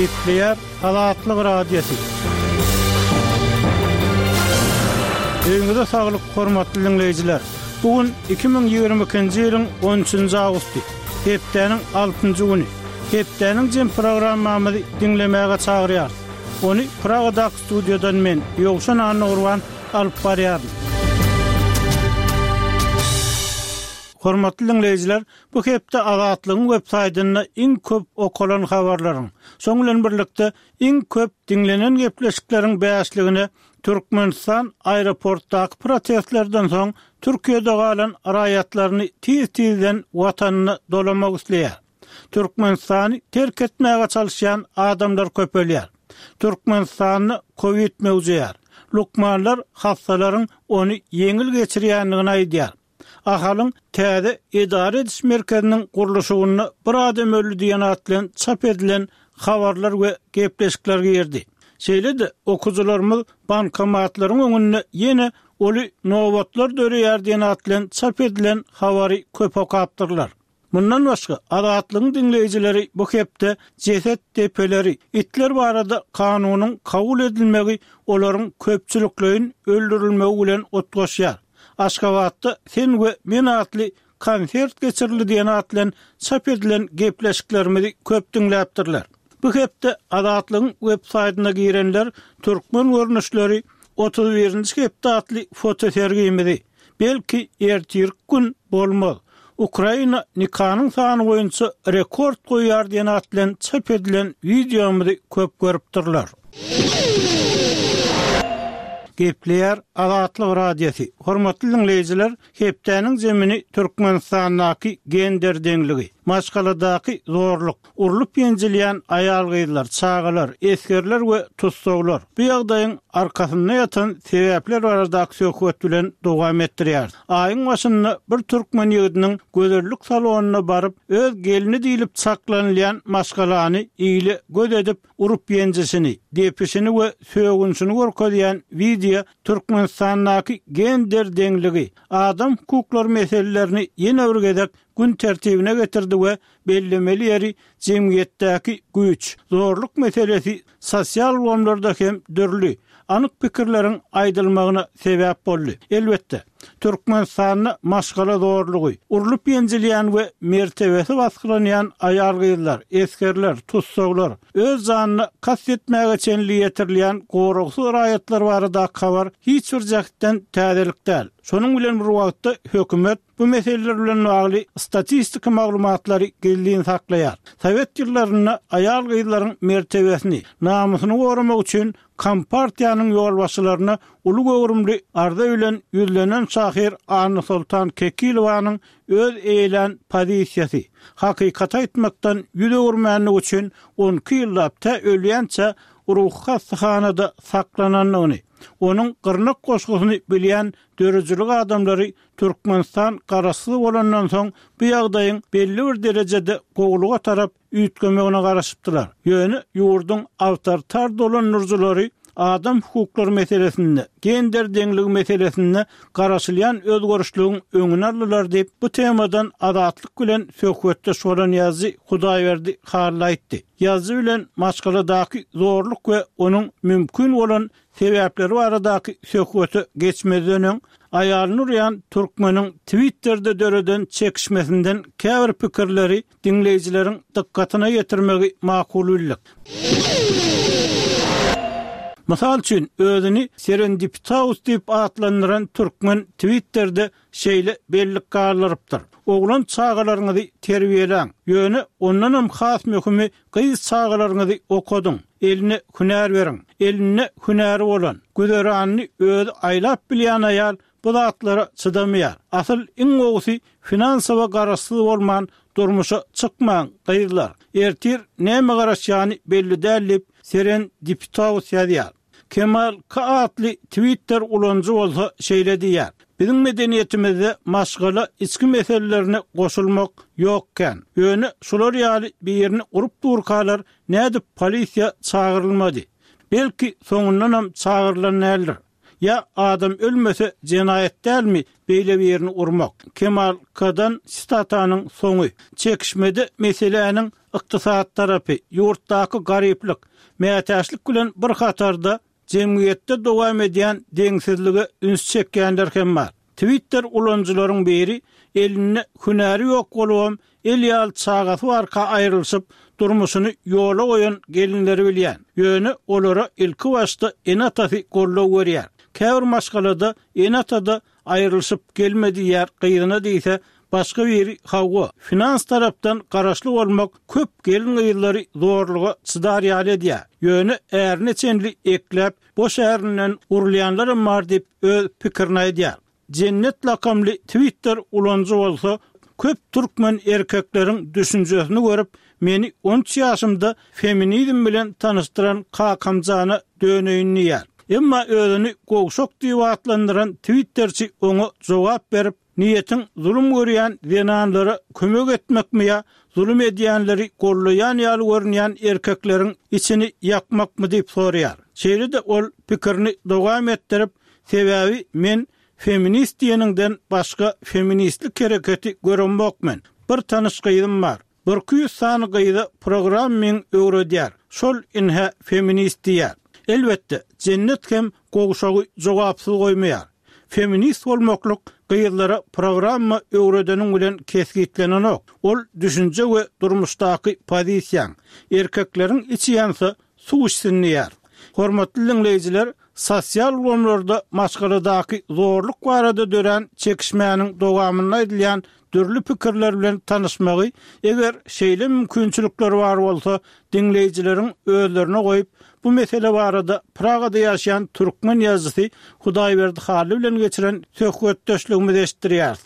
Gepleýär Azatlyk Radiosy. Öýüňize saglyk, hormatly diňleýjiler! Bu gün 2022-nji ýylyň on üçünji awgusty, hepdäniň altynjy güni. Hepdäniň jem programmamyzy diňlemäge çagyrýarys. Ony Pragadaky studiýadan men, Ýowşan Annagurban, alyp barýaryn. Hormatly diňleýjiler, bu hepde Azatlygyň websaýtynda iň köp okalan habarlaryň, şoň bilen birlikde iň köp diňlenen gepleşikleriň bäşligine Türkmenistan aeroportdaky protestlerden soň Türkiýede galan raýatlaryny tiz-tizden watanyna dolamak isleýär. Türkmenistany terk etmäge çalyşýan adamlar köpelýär. Türkmenistanda kowid möwjeýär. Lukmanlar hassalaryň ony ýeňil geçirýändigini aýdýar. Ahalyň täze edara ediş merkeziniň gurluşygynda bir adam öldi diýen at bilen çap edilen habarlar we gepleşikler girdi. Şeýle-de, okyjylarymyz bankomatlaryň öňünde ýene uly nobatlar döreýär diýen at bilen çap edilen habary köp okapdyrlar. Mundan başga, Azatlygyň diňleýjileri bu hepde jeset depeleri, itler barada kanunyň kabul edilmegi olaryň köpçülikleýin öldürilmegi bilen utgaşýar. Aşgabatda Sen we men atly konsert geçirildi diýen at bilen çap edilen gepleşiklerimizi köp diňläpdirler. Bu hepde Azatlygyň web saýtyna girenler Türkmen görnüşleri 31-nji hepde atly fotosergimizi, Belki ertirki gün bolmaz. Ukraina nikanyň sany boýunça rekord goýýar diýen at bilen çap edilen wideomyzy köp görüpdirler. Gepleýär Azatlyk Radiosy. Hormatly diňleýjiler, hepdäniň zemini Türkmenistandaky gender deňligi, maşgaladaky zorluk, Urlup-ýenjilýän aýal-gyzlar, çagalar, esgerler we tussaglar bu ýagdaýyň arkasynda ýatan sebäpler baradaky söhbet bilen dowam etdirýäris. Aýyň başynda bir türkmen ýigidiniň gözellik salonyna baryp, öz gelni diýlip çaklanylýan maşgalany ile göz edip urup-ýenjişini, depişini we sögünşini görkezýän wideo Türkmenistandaky gender deňligi, adam hukuklary meselelerini ýene bir gezek gün tertibine getirdi we Bellemeli ýeri, jemgyýetdäki güýç, zorluk meselesi sosial ulgamlarda hem dürli, anyk pikirleriň aýdylmagyna sebäp boldy. Elbetde, Türkmenistanda maşgala zorlugy, urlup-ýenjilýän we mertebesi basgylanýan aýal-gyzlar, esgerler, tussaglar, öz janyna kast etmäge çenli ýetirilýän goragsyz raýatlar baradaky habar hiç bir jähtden täzelik däl. Şonuň bilen bir wagtda hökümet, Bu meseleler bilen bagly statistiki maglumatlary gizlin saklaýar. Sowet ýyllarynda aýal-gyzlaryň mertebesini, namysyny goramak üçin Kompartiýanyň ýolbaşçylaryna uly göwrümli arza bilen ýüzlenen şahyr Annasoltan Kekilowanyň öz eýelän pozisiýasy, hakykaty aýtmakdan ýüz öwürmänligi üçin on iki ýyllap tä ölýänçä ruhy hassahanada saklanandygyny, onuň Gyrnak goşgusyny bilýän döredijilik adamlary Türkmenistan garaşsyz bolandan soň bu ýagdaýyň belli bir derejede gowulyga tarap üýtgemegine garaşypdylar. Ýöne ýurduň awtoritar dolandyryjylary adam hukuklary meselesinde, gender deňligi meselesinde garaşylýan özgerişligiň öňüni aldylar diýip, bu temadan Azatlyk bilen söhbetdeş bolan ýazyjy Hudaýberdi Hally aýtdy. Ýazyjy bilen maşgaladaky zorluk we onuň mümkin bolan Sebäpleri baradaky söhbete geçmezden öň, aýalyny urýan türkmeniň Twitterde döreden çekişmesinden käbir pikirleri diňleýjileriň dykgatyna ýetirmegi makul bildik. Mysal üçin, özüni Serendipitaus diýip atlandyran türkmen Twitterde şeýle bellik galdyrypdyr, Oglan çagalaryňyzy terbiýeläň, ýöne ondanam has möhümi gyz çagalaryňyzy okadyň, eline hünär beriň. Elinde hünäri bolan, güzeranyny özi aýlap bilýän aýal bu zatlara çydamaýar. Asyl iň gowusy finansowa garaşsyz bolman durmuşa çykmaň, gyzlar. Ertir näme garaşýany belli däl diýip, Seren Dipitaus ýazýar. Kemal K atly Twitter ulanyjy bolsa şeýle diýýär, Biziň medeniýetimizde maşgala içki meselelerine goşulmak ýok kän. Ýöne şular ýaly birini urup durkalar nädip polisiýa çagyrylmady? Belki soňundanam çagyrylan däldir. Ýa adam ölmese jenaýat dälmi beýle birini urmak? Kemal K-dan sitatanyň soňy. Çekişmede meseläniň. Ykdysady tarapy, ýurtdaky garyplyk, mätäçlik bilen bir hatarda jemgyýetde dowam edýän deňsizlige üns çekýänler hem bar. Twitter ulanyjylaryň biri elinde hünäri ýok bolubam, el ýaly çagasy barka aýrylyşyp, durmuşyny ýola goýan gelinleri bilýän. Ýöne olara ilkibaşda ene-atasy goldaw berýär. Käbir maşgalada ene-ata-da aýrylyşyp gelme diýýär gyzyna diýse, başga biri hawa, finans tarapdan garaşly bolmak köp gelin-gyzlary zorluga çydar ýaly edýär. Ýöne ärine çenli ekläp, boş ärinden urulýanlaram bar diýip, öz pikirini aýdýar. Jennet lakamly Twitter ulanyjy bolsa, köp türkmen erkekleriň düşünjesini görüp, meni on üç ýaşymda feminizm bilen tanyşdyran kakamjana döneýin diýýär. Emma özüni gowşak diýip atlandyran twitterçi oňa jogap berip, Niýetiň zulum görýän zenanlara kömek etmekmi ýa zulum edýänleri gollaýan ýaly görünýän erkekleriň içini ýakmakmy diýip soraýar. Şeýle-de ol pikirini dowam etdirip, Sebäbi men feminist diýeniňden başga feministlik hereketi göremok men. Bir tanyş gyzym bar. Birki ýüz sany gyza programming öwredýär. Şol inhä feminist diýýär. Elbetde, Jennet hem gowşagy jogapsyz goýmaýar. Feminist bolmaklyk gyzlara programma öwredeniň bilen kesgitlenenok. Ol düşünje we durmuşdaky pozisiýaň. Erkekleriň içi ýansa suw içsin diýýär. Hormatly diňleýjiler, sosial ulgamlarda maşgaladaky zorluk barada dörän çekişmäniň dowamynda aýdylýan dürli pikirler bilen tanyşmagy, eger şeýle mümkinçilikler bar bolsa, diňleýjileriň özlerine goýup, bu mesele barada Pragada ýaşaýan türkmen ýazyjysy Hudaýberdi Hally bilen geçiren söhbetdeşligimizi eşitdirýäris.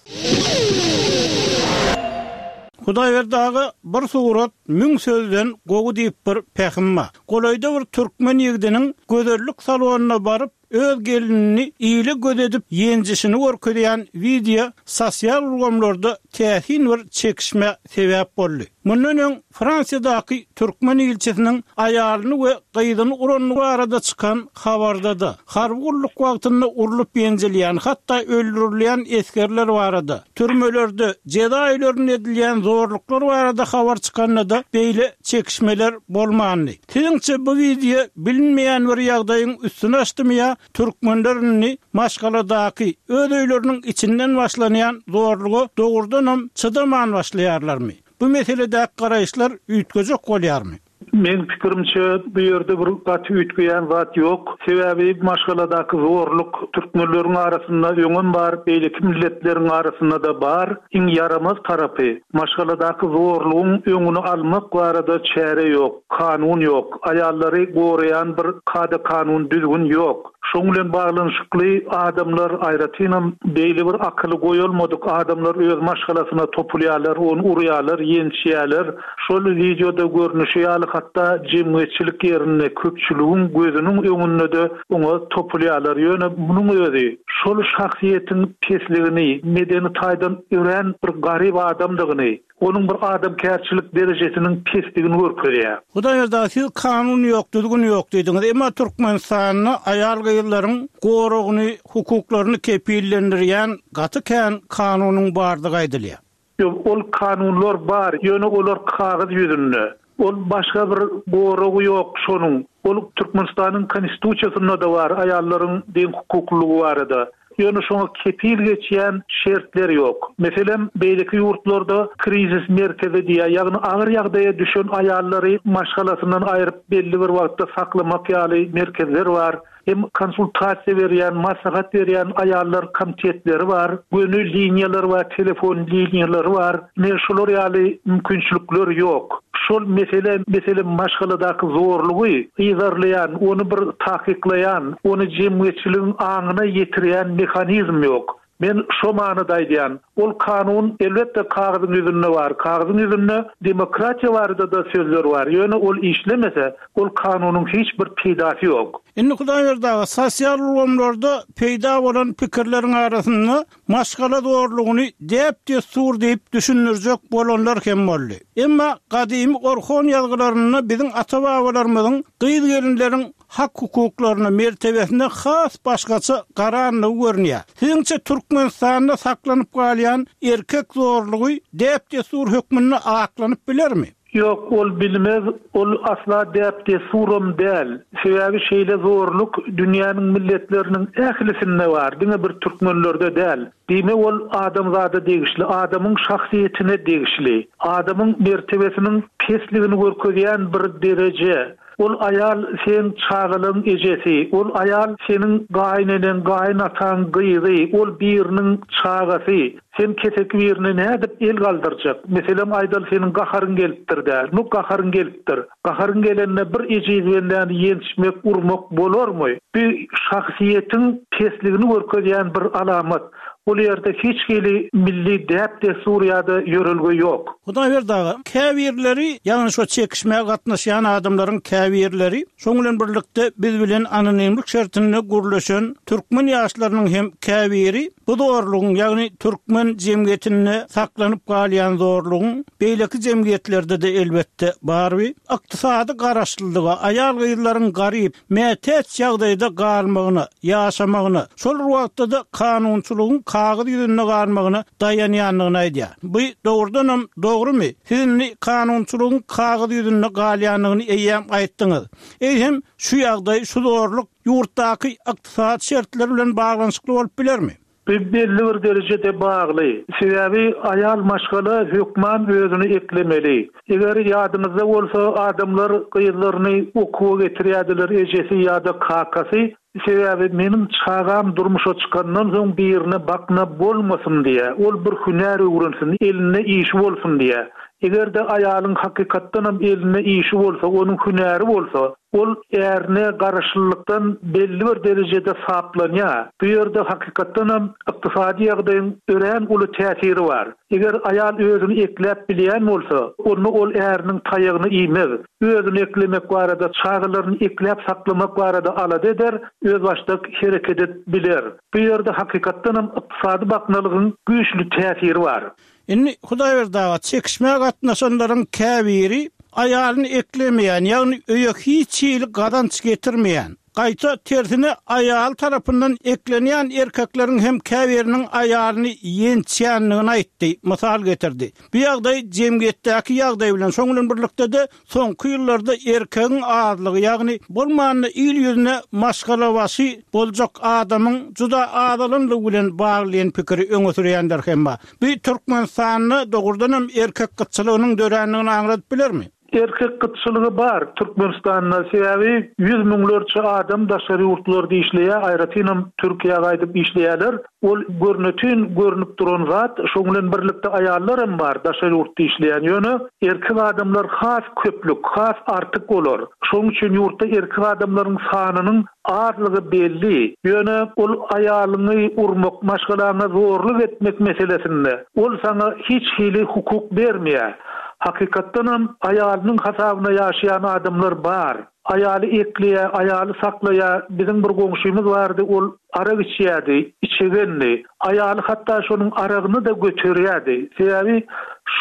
Hudaýberdi aga, bir surat müň sözden gowy diýip bir pähim bar. Golaýda bir türkmen ýigdiniň gözellik salonyna baryp, öz gelinini ile göz edip ýenjişini görkezýän wideo sosial ulgamlarda täsin bir çekişmä sebäp boldy. Mundan öň Fransiýadaky türkmen ilçisiniň aýalyny we gyzyny urandygy barada çykan habarda-da, harby gulluk wagtynda urlup ýenjilýän, hatda öldürilýän esgerler barada, türmelerde, jeza öýlerinde edilýän zorluklar barada habar çykanda-da beýle çekişmeler bolmandy. Siziňçe bu wideo bilinmeýän bir ýagdaýyň üstüni açdymy ýa türkmenler indi maşgaladaky, öz öýleriniň içinden başlanýan zorluga dogrudanam çydaman başlaýarlarmy? Bu meseledäki garaýyşlar üýtgejek bolýarmy? Meň pikirimçe bu ýerde bir gaty üýtgeýän zat ýok. Sebäbi maşgaladaky zorluk türkmenleriň arasynda öňem bar, beýleki milletleriň arasynda-da bar. Iň ýaramaz tarapy, maşgaladaky zorlugyň öňüni almak barada çäre ýok, kanun ýok, aýallary goraýan bir kada-kanun, düzgün ýok. Şoň bilen baglanyşykly adamlar, aýratynam beýle bir akyly goýalmadyk adamlar öz maşgalasyna topulýarlar, ony urýarlar, ýençýärler. Şol wideoda görnüşi ýaly hatda jemgyýetçilik ýerinde, köpçüligiň gözüniň öňünde-de oňa topulýarlar. Ýöne munuň özi şol şahsyýetiň pesligini, medeni taýdan örän bir garyp adamdygyny, onuň bir adamkärçilik derejesiniň pesdigini görkezýär. Hudaýberdi aga, siz kanun ýok, düzgün ýok diýdiňiz. Emma Türkmenistanda aýal-gyzlaryň goragyny, hukuklaryny kepillendirýän gaty kän kanunyň bardygy aýdylýar. Ýok, ol kanunlar bar, ýöne olar kagyz ýüzünde. Ol başga bir goragy ýok şonuň. Ol Türkmenistanyň Konstitusiýasynda-da bar aýallaryň deňhukuklylygy barada. Ýöne şoňa kepil geçýän şertler ýok. Meselem, beýleki ýurtlarda krizis merkezi diýýär, ýagny agyr ýagdaýa düşen aýallary maşgalasyndan aýryp belli bir wagtda saklamak ýaly merkezler bar. Hem konsultasiýa berýän, maslahat berýän aýallar komitetleri bar, göni liniýalar bar, telefon liniýalary bar. Ine, şular ýaly mümkinçilikler ýok. Şol mesele, meselem, maşgaladaky zorlugy yzarlaýan, ony bir takyklaýan, ony jemgyýetçiligiň aňyna ýetirýän mehanizm ýok. Men şo manyda aýdýan. Ol kanun, elbetde, kagyzyň ýüzünde bar. Kagyzyň ýüzünde demokratiýa barada-da sözler bar. Ýöne ol işlemese, ol kanunyň hiç bir peýdasy ýok. Indi Hudaýberdi aga, sosial ulgamlarda peýda bolan pikirleriň arasynda maşgala zorlugyny däp-dessur diýip düşündirjek bolanlar hem boldy. Emma gadymy Orhon ýazgylarynda biziň ata-babalarymyzyň gyz-gelinleriň hak-hukuklaryna, mertebesine has başgaça garandygy görünýär. Siziňçe Türkmenistanda saklanyp galýan erkek zorlugy däp-dessur hökmünde aklanyp bilermi? Ýok, ol bilmez, ol asla däp-dessuram däl. Sebäbi şeýle zorluk dünýäniň milletleriniň ählisinde bar, diňe bir türkmenlerde däl. Diýmek, ol adamzada degişli, adamyň şahsyýetine degişli, adamyň mertebesiniň pesligini görkezýän bir dereje. Ol aýal seň çagalaň ejesi, ol aýal seniň gaýyneneň, gaýynataň gyzy, ol biriniň çagasy. Sen keseki birine nädip el galdyrjak? Meselem aýdaly seniň gaharyň gelipdir-dä. Nu gaharyň gelipdir. Gaharyň gelende bir ejiz bendäni ýençmek, urmak bolarmy? Bu şahsyýetiň pesligini görkezýän bir alamat. Ol ýerde hiç hili milli däp-dessur ýa-da ýörelge ýok. Hudaýberdi aga, käbirleri, ýagny şo çekişmä gatnaşýan adamlaryň käbirleri, şoň bilen birlikde biz bilen anonimlik şertinde gürleşen türkmen ýaşlarynyň hem käbiri bu zorlugyň, ýagny türkmen jemgyýetinde saklanyp galýan zorlugyň beýleki jemgyýetlerde-de elbetde bar bi, ykdysady garaşlylyga, aýal-gyzlaryň garyp, mätäç ýagdaýda galmagyna, ýaşamagyna, şol bir wagtda-da kanunçylygyň kagyz ýüzünde galmagyna daýanýandygyny aýdýar. Bu dogrudanam dogrumy? Siz indi kanunçylygyň kagyz ýüzünde galýandygyny eýýäm aýtdyňyz. Eýsem, şu ýagdaý, şu zorluk ýurtdaky ykdysady şertler bilen baglanyşykly bolup bilermi? Bu belli bir derejede bagly. Sebäbi aýal maşgala hökman özüni eklemeli. Eger ýadyňyzda bolsa adamlar gyzlaryny okuwa getirýärdiler ejesi ýa-da kakasy, sebäbi meniň çagam durmuşa çykandan soň birine bakna bolmasyn diýä, ol bir hünär öwrensin, elinde işi bolsun diýä. Eger-de aýalyň hakykatdanam elinde işi bolsa, onuň hünäri bolsa, Ol ärine garaşlylykdan belli bir derejede saplanýar. Bu ýerde hakykatdanam ykdysady ýagdaýyň örän uly täsiri bar. Eger aýal özüni ekläp bilýän bolsa, onda ol äriniň taýagyny iýmez. Özüni eklemek barada, çagalaryny ekläp saklamak barada alada eder, özbaşdak hereket edip biler. Bu ýerde hakykatdanam ykdysady baknalygyň güýçli täsiri bar. Indi Hudaýberdi aga, çekişmä gatnaşanlaryň käbiri aýalyny eklemeýän, ýagny öýe hiç hili gazanç getirmeýän, gaýta tersine aýaly tarapyndan eklenýän erkekleriň hem käbiriniň aýalyny ýençýändigini aýtdy, mysal getirdi. Bu ýagdaý jemgyýetdäki ýagdaý bilen, şoň bilen birlikde-de Soňky ýyllarda erkegiň azlygy, ýagny bolmanda il ýüzüne maşgalabaşy boljak adamyň juda azalanlygy bilen bagly diýen pikiri öňe sürýänler hem bar. Bu Türkmenistanda dogrudanam erkek gytçylygynyň dörändigini aňladyp bilermi? Erkek gytçylygy bar Türkmenistanda, sebäbi ýüz müňlerçe adam daşary ýurtlarda işleýär, aýratynam Türkiýä gaýdyp işleýärler. Ol görnetin görnüp duran zat, şoň bilen birlikde aýallaram bar daşary ýurtda işleýän, ýöne erkek adamlar has köplük, has artyk olar. Şoň üçin ýurtda erkek adamlaryň sanynyň azlygy belli. Ýöne ol aýalyňy urmak, maşgalaňa zorluk etmek meselesinde ol saňa hiç hili hukuk bermeýär. Hakykatdanam aýalynyň hasabyna ýaşaýan adamlar bar. Aýaly ekleýär, aýaly saklaýar. Biziň bir goňşymyz bardy, ol arak içýärdi, içegendi. Aýaly hatda şonuň aragyny-da göterýärdi. Sebäbi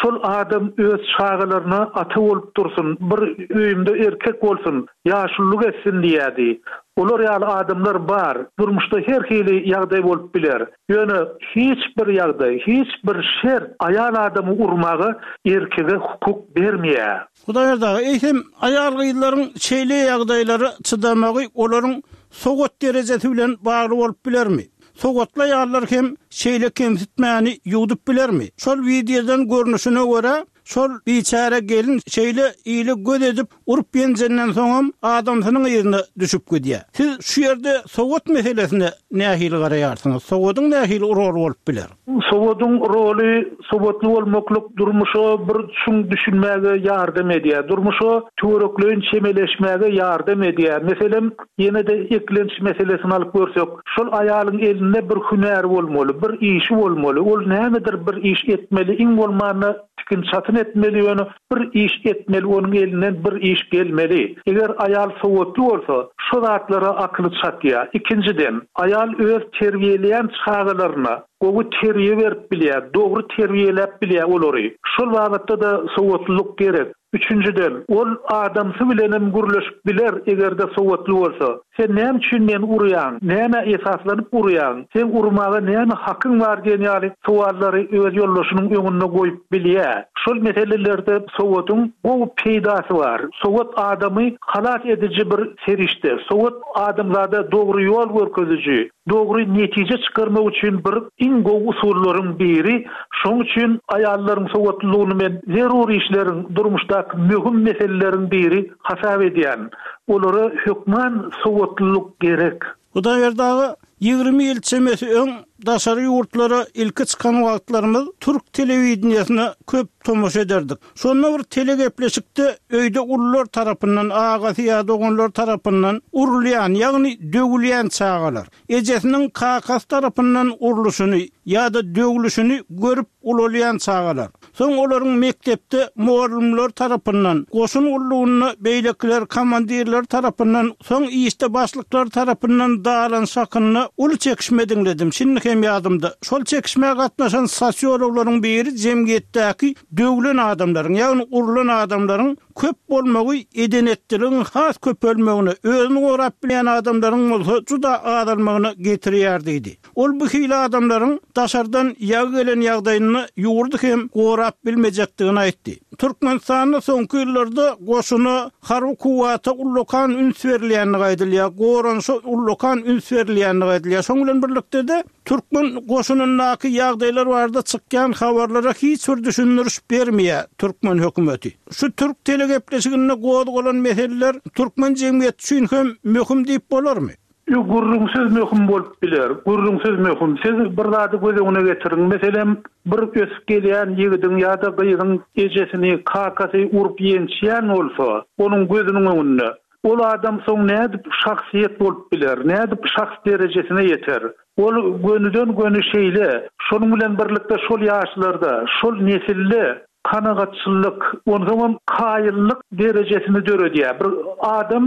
şol adam öz çagalaryna ata bolup dursun, bir öýümde erkek bolsun, ýaşululyk etsin diýýärdi. Olar ýaly adamlar bar. Durmuşda her hili ýagdaý bolup biler. Ýöne hiç bir ýagdaý, hiç bir şert aýal adamy urmaga erkege hukuk bermeýär. Hudaýberdi aga, eýsem, aýal-gyzlaryň şeýle ýagdaýlara çydamagy olaryň sowat derejesi bilen bagly bolup bilermi? Sowatly aýallar hem şeýle kemsitmäni ýuwdup bilermi? Şol wideodan görnüşine görä, şol biçäre gelin şeýle ile göz edip urup-ýenjenden soňam adamsynyň yzyna düşüp gidýär. Siz şu ýerde sowat meselesine nähili garaýarsyňyz? Sowadyň nähili roly bolup biler? Sowadyň roly Sowatly bolmaklyk durmuşa bir çuň düşünmäge ýardam edýär. Durmuşa töwerekleýin çemeleşmäge ýardam edýär. Meselem, ýene-de eklenç meselesini alyp görsek, şol aýalyň elinde bir hünäri bolmaly, bir işi bolmaly. Ol nämedir bir iş etmeli, iň bolmanda tikin-çatyn etmeli, ýöne Bir iş etmeli onuň elinden bir iş gelmeli. Eger aýal sowatly bolsa, şo zatlara akyly çatýar. Ikinjiden, aýal öz terbiýeleýän çagalaryna gowy terbiýe berip bilýär, dogry terbiýeläp bilýär olary. Şol babatda-da sowatlylyk gerek. Üçünjiden, ol adamsy bilenem gürleşip biler, eger-de sowatly bolsa. Sen näme üçin meni urýaň? Nämä esaslanyp urýaň? Seň urmaga näme hakyň bar diýen ýaly sowallary öz ýoldaşynyň öňünde goýup bilýär. Şol meselelerde sowadyň gowy peýdasy bar. Sowat adamy halas ediji bir serişde. Sowat adamzada dogry ýol görkeziji, dogry netije çykarmak üçin bir iň gowy usullaryň biri. Şoň üçin aýallaryň sowatlylygyny men zerur işleriň, durmuşdaky möhüm meseleleriň biri hasap edýän. Olara hökman sowatlylyk gerek. Hudaýberdi aga, 20 ýyl çemesi öň daşary ýurtlara ilki çykan wagtlarymyz türk telewideniýesine köp tomaşa ederdik. Şonda bir telegepleşikde öýde ulular tarapyndan, agasy ýa doganlary tarapyndan urulýan, ýagny döwülýän çagalar, ejesiniň kakasy tarapyndan urluşyny ýa-da döwlüşini görüp ulalýan çagalar, soň olaryň mekdepde mugallymlar tarapyndan, goşun gullugynda beýlekiler komandirler tarapyndan, soň işde başlyklar tarapyndan dalanyş hakynda uly çekişme diňledim, şindi hem ýadymda. Şol çekişmä gatnaşan sosiologlaryň biri jemgyýetdäki döwlen adamlaryň, ýagny urlan adamlaryň köp bolmagy eden-etdiligiň has köpelmegine, özüni gorap bilýän adamlaryň bolsa juda azalmagyna getirýär diýdi. Ol bu hili adamlaryň daşardan ýagy gelen ýagdaýynda ýurdy hem gorap bilmejekdigini aýtdy. Türkmenistanda soňky ýyllarda goşuna, harby kuwwata ullakan üns berilýändigi aýdylýar, goranyşa ullakan üns berilýändigi aýdylýar. Şonuň bilen birlikde-de, türkmen goşunyndaky ýagdaýlar barada çykýan habarlara hiç bir düşündiriş bermeýär türkmen hökümeti. Şu türk telegepleşiginde gozgalan meseleler türkmen jemgyýeti üçin hem möhüm diýip bolarmy? Ýok, gürrüňsiz möhüm bolup biler. Gürrüňsiz möhüm. Siz bir zady göz öňüne getiriň. Meselem, bir ösüp gelýän ýigidiň ýa-da gyzyň ejesini, kakasy urup-ýençýän bolsa, onuň gözüniň öňünde, ol adam soň nädip şahsyýet bolup biler, nädip şahs derejesine ýeter? Ol gönüden-göni şeýle. Şonuň bilen birlikde şol ýaşlarda, şol nesilde kanagatçyllyk, onsoňam kaýyllyk derejesini döredýär. Bir adam,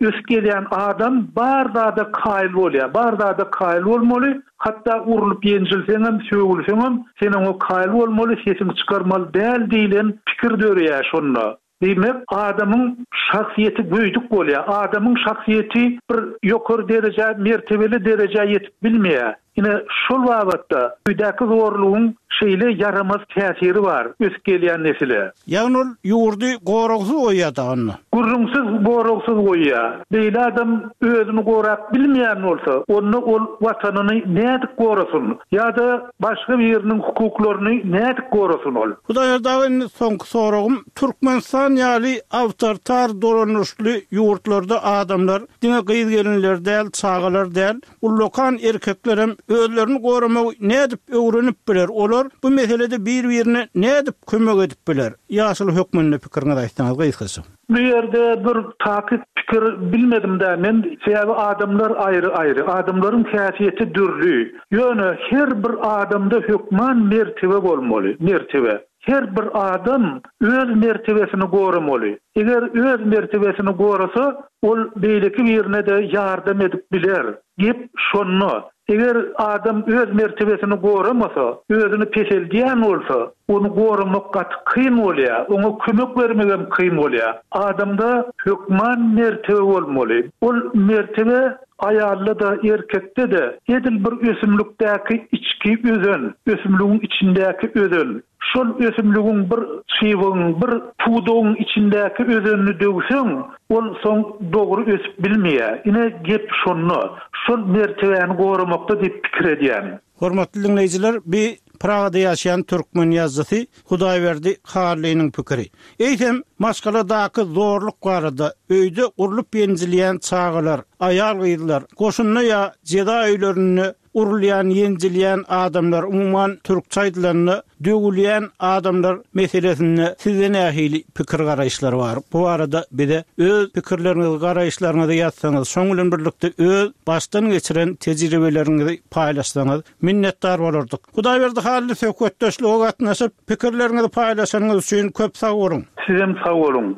ösüp gelýän adam bar zada kaýyl bolýar. Bar zada kaýyl bolmaly, hatda urlup-ýenjilseňem, sögülseňem, sen oňa kaýyl bolmaly, sesiňi çykarmaly däl diýlen pikir döreýär şonda. Diýmek, adamyň şahsyýeti göýdük bolýar. Adamyň şahsyýeti bir ýokary derejä, mertebeli derejä ýetip bilmeýär. Ine, şol babatda öýdäki zorlugyň şeýle ýaramaz täsiri bar ösüp gelýän nesile. Ýagny ol ýurdy goragsyz goýýar da onda. Gürrüňsiz goragsyz goýýar. Beýle adam özüni gorap bilmeýän bolsa, onda ol Watanyny nädip gorasyn? Ýa-da başga biriniň hukuklaryny nädip gorasyn ol? Hudaýberdi aga indi soňky soragym, Türkmenistan ýaly awtoritar dolanyşly ýurtlarda adamlar diňe gyz-gelinler däl, çagalar däl, ullakan erkeklerem özlerini goramagy nädip öwrenip biler, olar bu meselede bir-birine nädip kömek edip biler? Ýaşuly hökmünde pikiriňizi aýtsaňyz gysgaça. Bu ýerde bir takyk pikir bilmedim-dä men, sebäbi adamlar aýry-aýry, adamlaryň häsiýeti dürli. Ýöne her bir adamda hökman mertebe bolmaly, mertebe. Her bir adam öz mertebesini goramaly. Eger öz mertebesini gorasa, ol beýleki birine-de ýardam edip biler. Gep şonda. Eger adam öz mertebesini goramasa, özüni peseldýän bolsa, ony goramak gaty kyn bolýar, oňa kömek bermegem kyn bolýar. Adamda hökman mertebe bolmaly. Ol mertebe aýalda-da, erkekde-de edil bir ösümlikdäki içki özen, ösümligiň içindäki özen. Şol ösümligiň bir çybygyň, bir pudagyň içindäki özenini döwseň, ol soň dogry ösüp bilmeýär. Ine, gep şonda. Şol mertebäni goramakda diýip pikir edýän. Hormatly diňleýjiler, bi Pragada ýaşaýan türkmen ýazyjysy Hudaýberdi Hallynyň pikiri. Eýsem, maşgaladaky zorluk barada, öýde urlup-ýenjilýän çagalar, aýal-gyzlar, goşunda ýa jeza öýlerinde Urulýan, ýenjilýän adamlar, umuman, türkçe aýdylanda, döwülýän adamlar meselesinde sizde nähili pikir-garaýyşlar bar? Bu barada bize öz pikirleriňizi, garaýyşlaryňyzy ýazsaňyz, şoň bilen birlikde öz başdan geçiren tejribeleriňizi paýlaşsaňyz, minnetdar bolardyk. Hudaýberdi Hally söhbetdeşlige gatnaşyp, pikirleriňizi paýlaşanyňyz üçin köp sag boluň! Sizem sag boluň!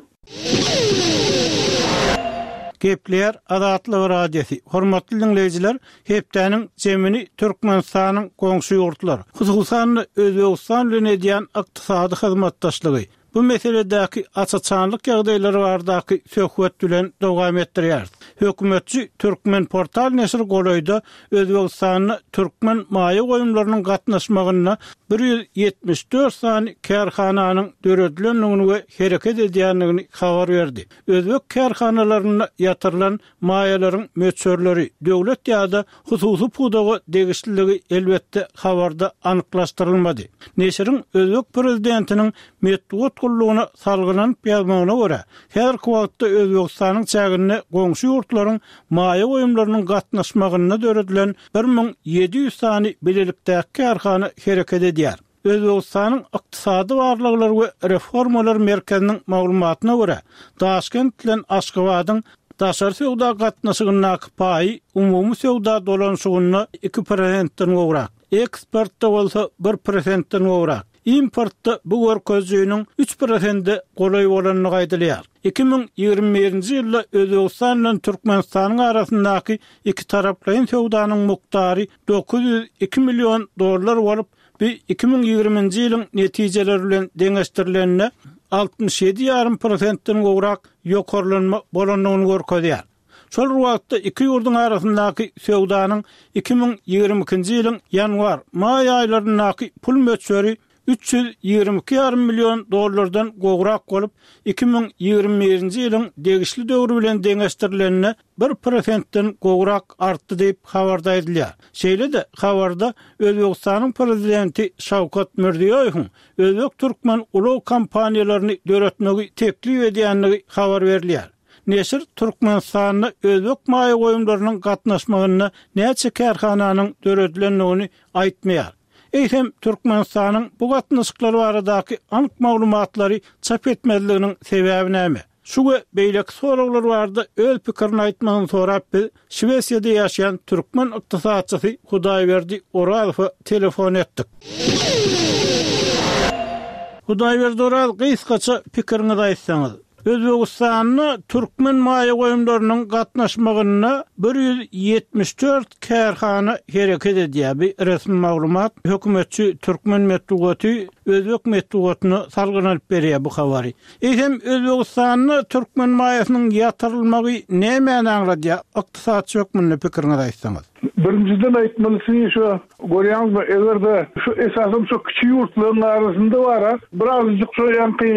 Gepleýär Azatlyk Radiosy. Hormatly diňleýjiler, hepdäniň jemini Türkmenistanyň goňşy ýurtlar, hususan-da, Özbegistan bilen edýän ykdysady hyzmatdaşlygy, bu meseledäki aç-açanlyk ýagdaýlary baradaky söhbet bilen dowam etdirýäris. Hökümetçi Türkmenportal neşiri golaýda Özbegistanda türkmen maýa goýumlarynyň gatnaşmagynda 174 sany kärhananyň döredilendigini we hereket edýändigini habar berdi. Özbek kärhanalarynda ýatyrylan maýalaryň möçberleri, döwlet ýa-da hususy pudaga degişliligi elbetde habarda anyklaşdyrylmady. Neşiriň özbek prezidentiniň metbugat gullugyna salgylanyp ýazmagyna görä, häzirki wagtda Özbegistanyň çäginde goňşy ýurtlaryň maýa goýumlarynyň gatnaşmagynda döredilen 1700 sany bilelikdäki kärhana hereket edýär. Özbegistanyň Ykdysady barlaglar we reformalar merkeziniň maglumatyna görä, Daşkent bilen Aşgabadyň daşary söwda gatnaşygyndaky paýy umumy söwda dolanyşygynda 2 prosentden gowrak, eksportda bolsa bir prosentden gowrak, importda bu görkezijiniň üç prosente golaý bolandygy aýdylýar. 2021-nji ýylda Özbegistan bilen Türkmenistanyň arasyndaky ikitaraplaýyn söwdanyň mukdary 902 million dollar bolup, Bu 2020-nji ýylyň netijeleri bilen deňeşdirilende, 67 ýarym prosentden gowrak ýokarlanma bolandygyny görkezýär. Şol bir wagtda, iki ýurduň arasyndaky söwdanyň 2022-nji ýylyň ýanwar, maý aýlaryndaky pul möçberi 322 ýarym million dollardan gowrak bolup, 2021-nji ýylyň degişli döwri bilen deňeşdirilende, bir prosentden gowrak artdy diýip, habarda aýdylýar. Şeýle-de, habarda Özbegistanyň Prezidenti Şawkat Mirziýoýewiň özbek-türkmen ulag kompaniýalaryny döretmegi teklip edýändigi habar berilýär. Neşir Türkmenistanda özbek maýa goýumlarynyň gatnaşmagynda näçe kärhananyň döredilendigini aýtmaýar. Eýsem, Türkmenistanyň bu gatnaşyklar baradaky anyk maglumatlary çap etmezliginiň sebäbi näme? Şu we beýleki soraglar barada öz pikirini aýtmagyny sorap biz Şwesiýada ýaşaýan türkmen ykdysatçysy Hudaýberdi Orazowa telefon etdik. Hudaýberdi Oraz gysgaça pikiriňizi aýtsaňyz. Özbegistanda türkmen maýa goýumlarynyň gatnaşmagynda 174 kärhana hereket edýär. Bu resmi maglumat. Hökümetçi türkmen metbugaty özbek metbugatyna salgylanyp berýär bu habary. Eýsem, Özbegistanda türkmen maýasynyň ýatyrylmagy nämäni aňladýar? Ykdysatçy hökmünde pikiriňizi aýtsaňyz. Birinjiden aýtmalysy şu, görýäňizmi, eger-de şu esasam şu kiçi ýurtlaryň arasynda bar-a, birazajyk şo ýaňky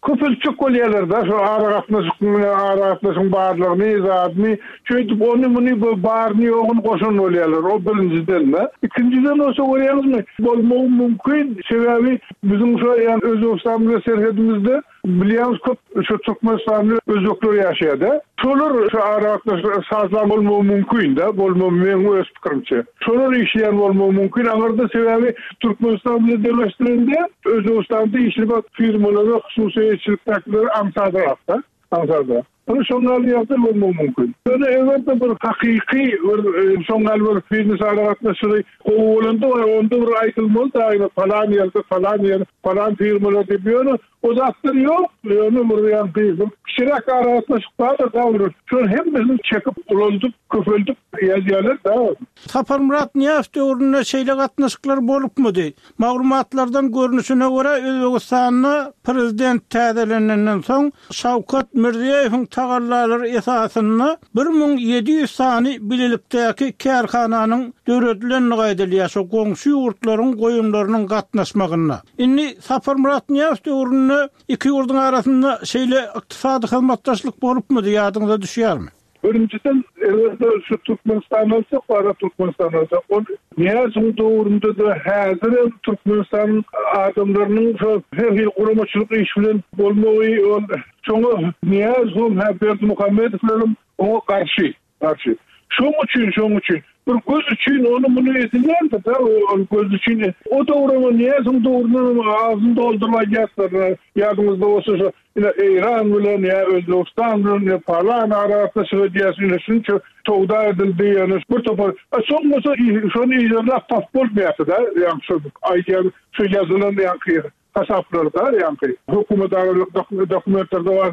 köpeltjek bolýarlar-da, şo aragatnaşyk bilen aragatnaşygyň barlygyny, zadyny, şeýdip ony-muny baryny-ýoguny goşan bolýarlar, o birinjiden-de. Ikinjiden bolsa görýäňizmi, bolmagy mümkin, sebäbi Biziň şo ýan Özbegistan bilen serhedimizde bilýäňiz köp şo türkmenistanly özbekler ýaşaýada. Şolar şo aragatnaşyk sazlan bolmagy mümkin-de, bolmagy meň öz pikirimçe. Şolar işleýän bolmagy mümkin aňyrda sebäbi Türkmenistan bilen deňeşdirende Özbegistanda işlemek firmalara hususy eýeçilikdäkilere aňsadrak-da, aňsadrak. Ony şoň ýaly ýagdaý bolmagy mümkin. Ýöne eger-de bir hakyky bir şoň ýaly bir biznes aragatnaşygy gowy bolanda onda bir aýdylmaly daýy palan ýerde palan ýer palan firmalar diýip ýöne o zatlar ýok. Ýöne bir ýaňky bir kiçiräk aragatnaşyk bardyr da bir şol hemmesini çekip ulaldyp köpeldip ýazýarlar da. Saparmyrat Nyýazow döwründe şeýle gatnaşyklar bolupmydy? Maglumatlardan görnüşine görä, Özbegistanda prezident täzelenenden soň, Şawkat Mirziýoýewiň tagallalary esasynda 1700 sany bilelikdäki kärhananyň döredilendigi aýdylýar, şo goňşy ýurtlaryň goýumlarynyň gatnaşmagynda. Indi Saparmyrat Nyýazow döwründe iki ýurduň arasynda şeýle ykdysady hyzmatdaşlyk bolupmydy, ýadyňyza düşýärmi? Birinjiden, eger-de şu Türkmenistany alsak, bara Türkmenistany alsak, ol Nyýazowyň döwründe-de, häzirem Türkmenistanyň adamlarynyň şo her hili guramaçylyk iş bilen bolmagy, ol şoňa Nyýazowam, hä Berdimuhamedowlaram oňa garşy, garşy. Şoň üçin, şoň üçin bir göz üçin ony-muny edilýändir-dä, ol göz üçin. O döwrem, Nyýazowyň döwründenem agzyny dolduryp aýdýardylar, ýadyňyzda bolsa şo Ine Eýran bilen ýa Özbegistan bilen ýa palan aragatnaşyk edýäs, ine şunça söwda edildi, ýöne bir topar, a soň bolsa şony yzarlap tapyp bolmaýardy-da, ýaňky şo aýdýan şu ýazylan ýaňky hasaplarda, ýaňky hökümet aralyk dokumentlerde bar,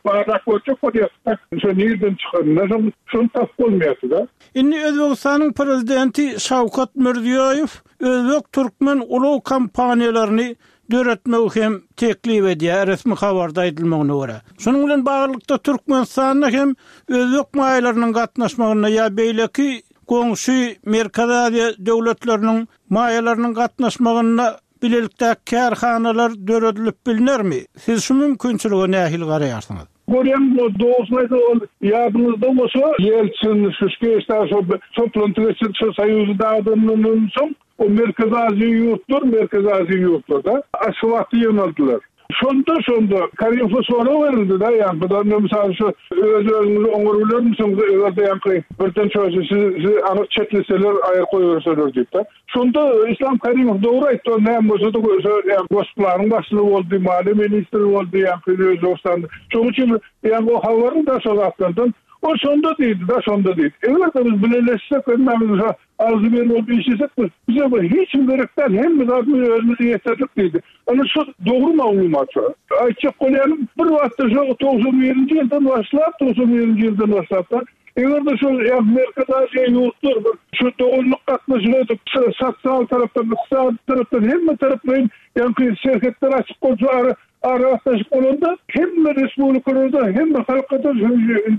barlap görjek bolýarsyň-da, şo nirden çykanyny, şony tapyp bolmaýardy-da. Indi Özbegistanyň prezidenti Şawkat Mirziýoýew özbek-türkmen ulag kompaniýalaryny. döretmegi hem teklip edýär, resmi habarda aýdylmagyna görä. Şunuň bilen baglylykda, Türkmenistanda hem özbek maýalarynyň gatnaşmagynda ýa beýleki goňşy Merkezi Aziýa döwletleriniň maýalarynyň gatnaşmagynda bilelikdäki kärhanalar döredilip bilnermi? Siz şu mümkinçilige nähili garaýarsyňyz? Görýäň, dogrusyny aýtsak, ol ýadyňyzda bolsa, Ýeltsin, Şuşkewiç dagy şol toplanty geçirip, şol Soýuzy dagadanyndan soň, o Merkezi Aziýa ýurtlar, Merkezi Aziýa ýurtlar-da Aşgabatda ýygnaldylar. Şonda, şonda Karimowa sorag berildi-de, ýaňky bu-da mysal şu öz-özüňizi oňarybilermisiňiz, eger-de ýaňky birden şo sizi anyk çetleseler, aýryp goýberseler diýip-de. Şonda Islam Karimow dogry aýtdy, ol näme bolsa-da şo Gosplanyň başlygy boldy, maliýe ministri boldy ýaňky Özbegistanda. Şonuň üçin ýaňky o habarly-da şo zatlardan. Ol şonda diýdi-de, şonda diýdi. Eger-de biz bileleşsek, hemmämiz şo agzybir bolup işlesek, biz bize bir hiç kim gerek däl, hemme zadyny özümiz ýeterlik diýdi. Ana şu dogry maglumat şo. Aýtjak bolýanym, bir wagtda şo 91-nji ýyldan başlap, 91-nji ýyldan başlap-da Eger-de şol Merkezi Aziýa ýurtlar bir şu doganlyk gatnaşyk edip, sosial tarapdan, ykdysady tarapdan hemme taraplaýyn ýaňky serhetler açyk bolsa, ara aragatnaşyk bolanda hemme respublikalarda, hemme halka-da şu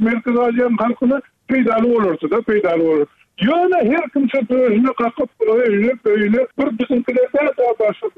Merkezi Aziýanyň halkyna peýdaly bolardy-da, peýdaly bolar. Ýöne her kim şu döşüne kakyp, öýüne, öýüne bir biziňkiler däl-de, başga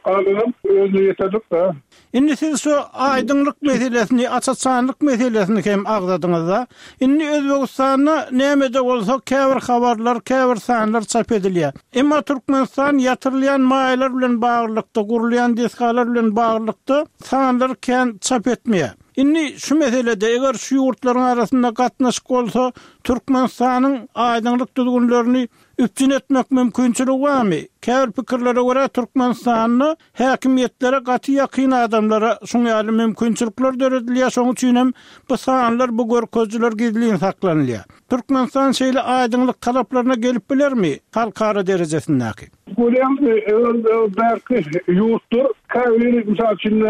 galanam özüne ýeterlik-dä. Indi siz şu aýdyňlyk meselesini, aç-açanlyk meselesini hem agzadyňyz-da. Indi Özbegistanda näme-de bolsa käbir habarlar, käbir sanlar çap edilýär. Emma Türkmenistan ýatyrylýan maýalar bilen baglylykda, gurulýan desgalar bilen baglylykda sanlary kän çap etmeýär. Indi şu meselede, eger şu ýurtlaryň arasynda gatnaşyk bolsa, Türkmenistanyň aýdyňlyk düzgünlerini üpjün etmek mümkinçiligi barmy? Käbir pikirlere görä, Türkmenistanda häkimiýetlere gaty ýakyn adamlara şuň ýaly mümkinçilikler döredilýär, şonuň üçin hem bu sanlar, bu görkezijiler gizlin saklanylýar. Türkmenistan şeýle aýdyňlyk talaplaryna gelip bilermi, halkara derejesindäki? Görýäňizmi, bärki ýurtlar käbiri, mysal üçin,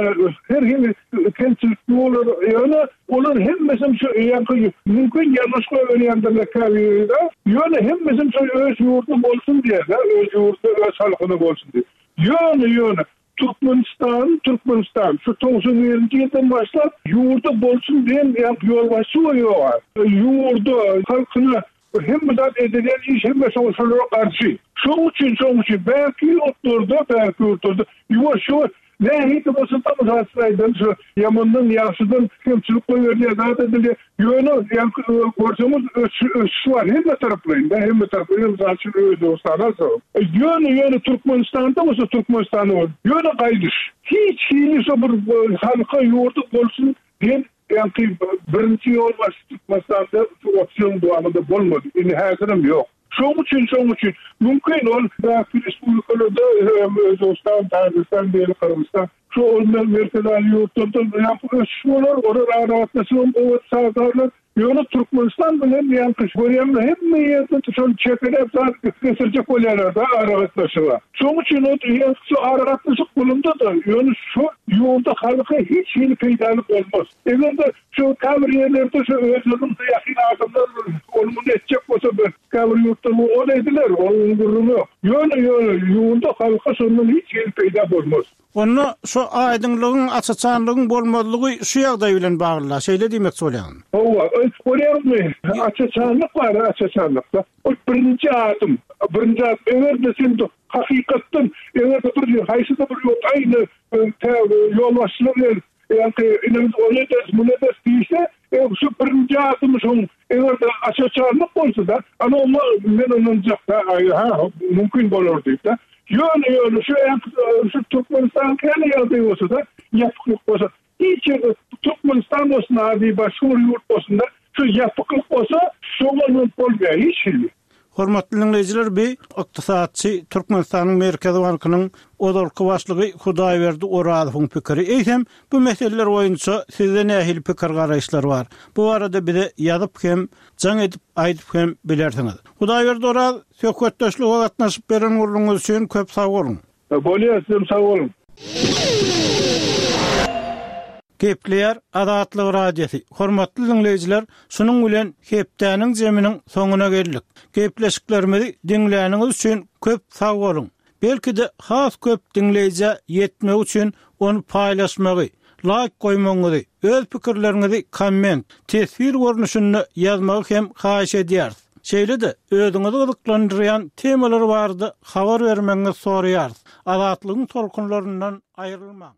her hili kemçilikli bolar, ýöne Olar hemmesem şu ýaňky mümkin ýalňyş goýberýändirler käbiri-de, ýöne hemmesem şo öz ýurdy bolsun diýer-de, öz ýurdy öz halkyna bolsun diýip. Ýöne, ýöne Türkmenistan, Türkmenistan şu 91-nji ýyldan başlap ýurda bolsun diýen ýaňky ýolbaşçy goýýar. Ýurda, halkyna hemme zat edilýän iş hemme şo şolara garşy. Şoň üçin, şoň üçin bärki ýurtlarda, bärki ýurtlarda ýuwaş-ýuwaş Nähili bolsa-da, mysal üçin aýdaly, şu ýamandan, ýagşydan kemçilik goýberilýär, zat edilýär. Ýöne, ýaňky görseňiz, ösüş bar hemme taraplaýyn-da, hemme taraplaýyn, mysal üçin, Özbegistany alsak. Ýöne, ýöne Türkmenistanda bolsa, Türkmenistanda bolsa, ýöne gaýdyş. Hiç hili şo bir halka, ýurda bolsun diýen ýaňky birinji ýolbaşçy Türkmenistanda şu 30 ýylyň dowamynda bolmady. Indi häzirem ýok. Şoň üçin, şoň üçin, mümkin ol bähki respublikalarda, Özbegistan, Täjigistan diýeli, Gyrgyzystan, şu ol Merkezi Aziýa ýurtlarda ýaňky ösüş bolar, olar aragatnaşygam gowy sazlarlar. Ýöne Türkmenistan bilen ýaňky görýäňmi hemme ýerde şol çekeläp zat getirjek bolýarlar-da aragatnaşyga. Şoň üçin ol ýaňky şu aragatnaşyk bolanda-da, ýöne şu ýurda halka hiç hili peýdaly bolmaz. Eger-de şu käbir ýerlerde şu özleriniň ýakyn adamlar ony muny etjek bolsa bir käbir ýurtda ol ediler, onuň gürrüňi ýok. Ýöne ýöne ýurda halka şondan hiç hili peýda bolmaz. Onda şu aýdyňlygyň, aç-açanlygyň bolmazlygy şu ýagdaý bilen bagly-la, şeýle diýmekçi bolýaňmy? Hawa, görýäňmi, aç-açanlyk bar, aç-açanlykda. Ol birinji adym, birinji adym. Eger-de sen hakykatdan, eger-de bir haýsy-da bir ýurt aýny tä ýolbaşçylar gelip, Ýaňky ine biz ony ederis, muny ederis diýse, e, şu birinji adymy şoň eger-de aç-açanlyk bolsa-da, ana oňa men ynanjak-da, aý, ha, mümkin bolar diýip-de. Ýöne, ýöne şu ýaňky şu Türkmenistanyňky ýaly ýagdaý bolsa-da, ýapyklyk bolsa, hiç ýerde Türkmenistan bolsun, ady başga bir ýurt bolsun-da, şu ýapyklyk bolsa, şoňa ynanyp bolmaýar hiç hili. Hormatly diňleýjiler bi ykdysatçy Türkmenistanyň Merkezi bankynyň ozalky başlygy Hudaýberdi Orazowyň pikiri. Eýsem bu meseleler boýunça sizde nähili pikir garaýyşlar bar? Bu barada bize ýazyp hem, jaň edip aýdyp hem bilersiňiz. Hudaýberdi Oraz söhbetdeşlige gatnaşyp beren gürrüňiňiz üçin köp sag boluň. Bolýar sizem sag boluň. Gepleýär Azatlyk Radiosy. Hormatly diňleýjiler, şunuň bilen hepdäniň jeminiň soňuna geldik. Gepleşiklerimizi diňläniňiz üçin köp sag boluň. Belki-de has köp diňleýjä ýetmegi üçin ony paýlaşmagy, laýk goýmagyňyzy, öz pikirleriňizi komment, teswir görnüşinde ýazmagy hem haýyş edýäris. Şeýle-de, özüňizi gyzyklandyrýan temalar barada habar bermegiňizi soraýarys. Azatlygyň tolkunlaryndan aýrylmaň!